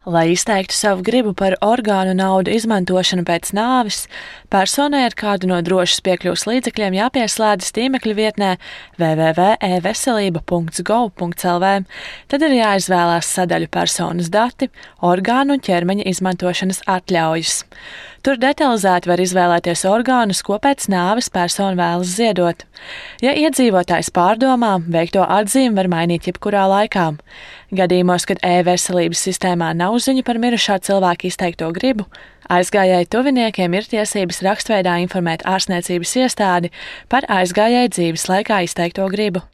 Lai izteiktu savu gribu par orgānu naudu izmantošanu pēc nāves, personai ar kādu no drošas piekļuves līdzekļiem jāpieslēdzas tīmekļa vietnē www.eveselība.gov.lv. Tad ir jāizvēlās sadaļu personas dati, orgānu un ķermeņa izmantošanas atļaujas. Tur detalizēti var izvēlēties orgānus, ko pēc nāves persona vēlas ziedot. Ja iedzīvotājs pārdomā, veikto atzīmi var mainīt jebkurā laikā. Gadījumos, kad e-veselības sistēmā nav ziņu par mirušā cilvēka izteikto gribu, aizgājēju tuviniekiem ir tiesības rakstveidā informēt ārstniecības iestādi par aizgājēju dzīves laikā izteikto gribu.